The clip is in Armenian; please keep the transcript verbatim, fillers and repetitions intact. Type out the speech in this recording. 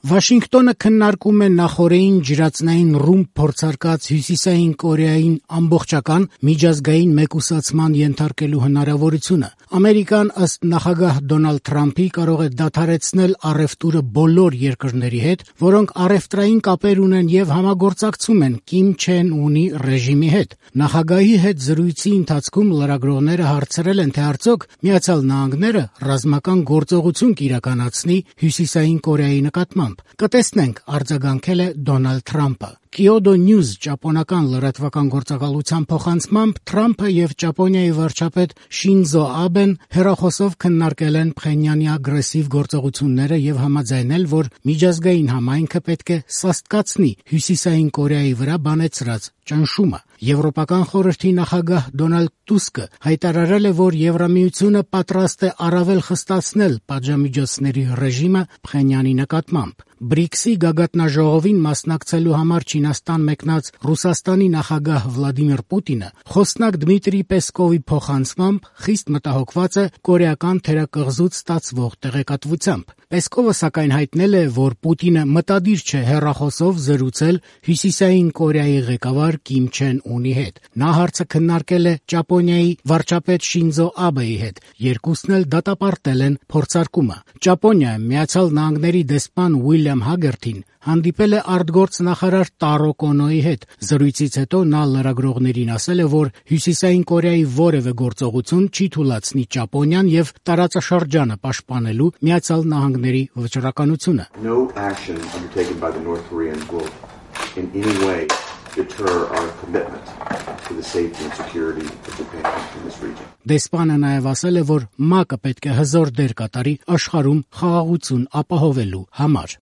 Վաշինգտոնը քննարկում է նախօրեին ջրածնային ռումբ փորձարկած Հյուսիսային Կորեային ամբողջական միջազգային մեկուսացման ենթարկելու հնարավորությունը։ Ամերիկան, ըստ նախագահ Դոնալդ Թրամփի, կարող է դադարեցնել առևտուրը բոլոր երկրների հետ, որոնք առևտրային կապեր ունեն եւ համագործակցում են Կիմ Չեն Ունի ռեժիմի հետ։ Նախագահի հետ զրույցի ընթացքում լրագրողները հարցրել են, թե արդյոք Միացյալ Նահանգները ռազմական գործողություն կիրականացնի Հյուսիսային Կորեայի նկատմամբ։ Կտեսնենք, արձագանքել է Դոնալդ Թրամփը։ Kyodo News ճապոնական լրատվական գործակալության փոխանցմամբ Թրամփը եւ Ճապոնիայի վարչապետ Շինզո Աբեն հեռախոսով քննարկել են Փխենյանի ագրեսիվ գործողությունները եւ համաձայնել, որ միջազգային համայնքը պետք է սաստկացնի Հյուսիսային Կորեայի վրա բանեցրած ճնշումը։ Եվրոպական խորհրդի նախագահ Դոնալդ Տուսկը հայտարարել է, որ Եվրամիությունը պատրաստ է առավել խստացնել պատժամիջոցների ռեժիմը Փխենյանի նկատմամբ։ բրիքսի գագաթնաժողովին մասնակցելու համար Չինաստան մեկնած Ռուսաստանի նախագահ Վլադիմիր Պուտինը խոսնակ Դմիտրի Պեսկովի փոխանցմամբ խիստ մտահոգված է կորեական թերակղզուց ստացվող տեղեկատվությամբ։ Պեսկովը սակայն հայտնել է, որ Պուտինը մտադիր չէ հեռախոսով զրուցել Հյուսիսային Կորեայի ղեկավար Կիմ Չեն Ունի հետ։ Նա հարցը քննարկել է Ճապոնիայի վարչապետ Շինզո Աբեի հետ։ Երկուսն էլ դատապարտել են փորձարկումը։ Ճապոնիայում Միացյալ Նահանգների դեսպան Ուիլյամ Հագերթին հանդիպել է արտգործնախարար Տարո Կոնոյի հետ։ Զրույցից հետո նա լրագրողներին ասել է, որ Հյուսիսային Կորեայի որևէ գործողություն չի թույլատնի Ճապոնիան եւ տարածաշրջանը պաշտպանելու Միացյալ Նահանգների վճռականությունը։ No action undertaken by the North Koreans will in any way deter our commitment to the safety and security of Japan in this region. Դեսպանը նաև ասել է, որ ՄԱԿ-ը պետք է հզոր դեր կատարի աշխարհում խաղաղություն ապահովելու համար։